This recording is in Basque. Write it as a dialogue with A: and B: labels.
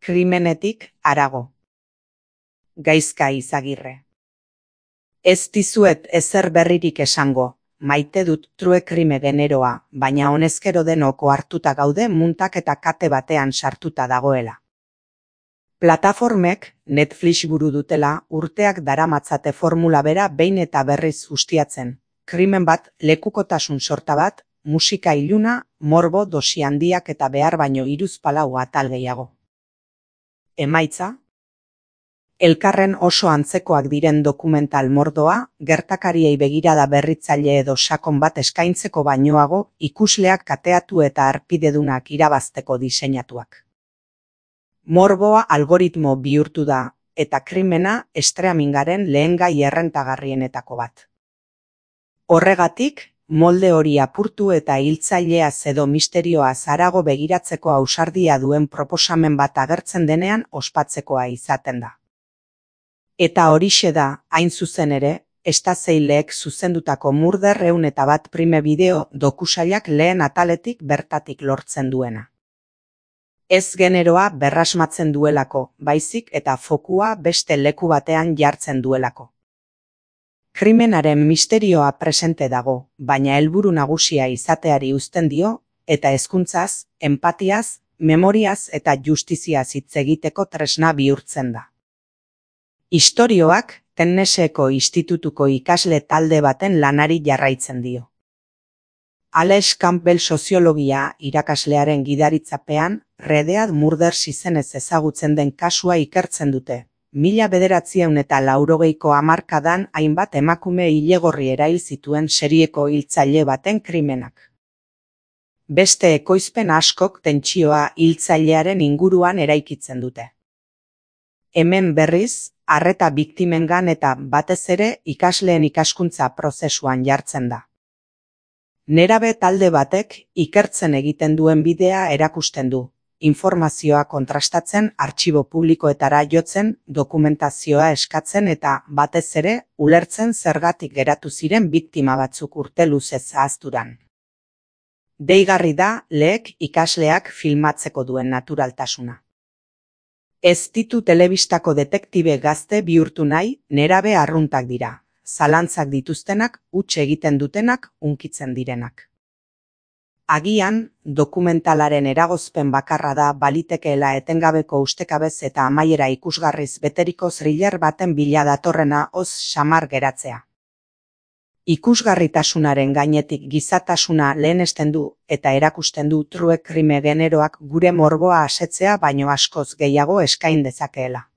A: Krimenetik harago. Gaizka Izagirre. Ez dizuet ezer berririk esango, maite dut true crime generoa, baina honezkero denok ohartuta gaude muntak eta kate batean sartuta dagoela. Plataformek Netflix buru dutela urteak daramatzate formula bera behin eta berriz ustiatzen. Krimen bat, lekukotasun sorta bat, musika iluna, morbo dosi handiak eta behar baino 3-4 atal gehiago. Emaitza? Elkarren oso antzekoak diren dokumental mordoa, gertakariei begirada berritzaile edo sakon bat eskaintzeko bainoago, ikusleak kateatu eta arpidedunak irabazteko diseinatuak. Morboa algoritmo bihurtu da, eta krimena streamingaren lehengai errentagarrienetako bat. Horregatik, molde hori apurtu eta hiltzaileaz edo misterioaz harago begiratzeko ausardia duen proposamen bat agertzen denean ospatzekoa izaten da. Eta horixe da, hain zuzen ere, Estazeileek zuzendutako Murder 101 prime bideo dokusailak lehen ataletik bertatik lortzen duena. Ez generoa berrasmatzen duelako, baizik eta fokua beste leku batean jartzen duelako. Krimenaren misterioa presente dago, baina helburu nagusia izateari uzten dio, eta hezkuntzaz, enpatiaz, memoriaz eta justiziaz hitz egiteko tresna bihurtzen da. Istorioak Tennesseeko institutuko ikasle talde baten lanari jarraitzen dio. Alex Campbell soziologia irakaslearen gidaritzapean, Redead Murders izenez ezagutzen den kasua ikertzen dute. 1980ko hamarkadan hainbat emakume ilegorri erail zituen serieko hiltzaile baten krimenak. Beste ekoizpen askok tentsioa hiltzailearen inguruan eraikitzen dute. Hemen berriz, arreta biktimengan eta batez ere ikasleen ikaskuntza prozesuan jartzen da. Nerabe talde batek ikertzen egiten duen bidea erakusten du, informazioa kontrastatzen, artxibo publikoetara jotzen, dokumentazioa eskatzen eta batez ere ulertzen zergatik geratu ziren biktima batzuk urte luzez ahazturan. Deigarri da leek ikasleak filmatzeko duen naturaltasuna. Ez ditu telebistako detektibe gazte bihurtu nahi, nerabe arruntak dira. Zalantzak dituztenak, huts egiten dutenak, hunkitzen direnak. Agian, dokumentalaren eragozpen bakarra da balitekeela etengabeko ustekabez eta amaiera ikusgarriz beteriko thriller baten bila datorrena oz samar geratzea. Ikusgarritasunaren gainetik gizatasuna lehenesten du eta erakusten du true crime generoak gure morboa asetzea baino askoz gehiago eskain dezakeela.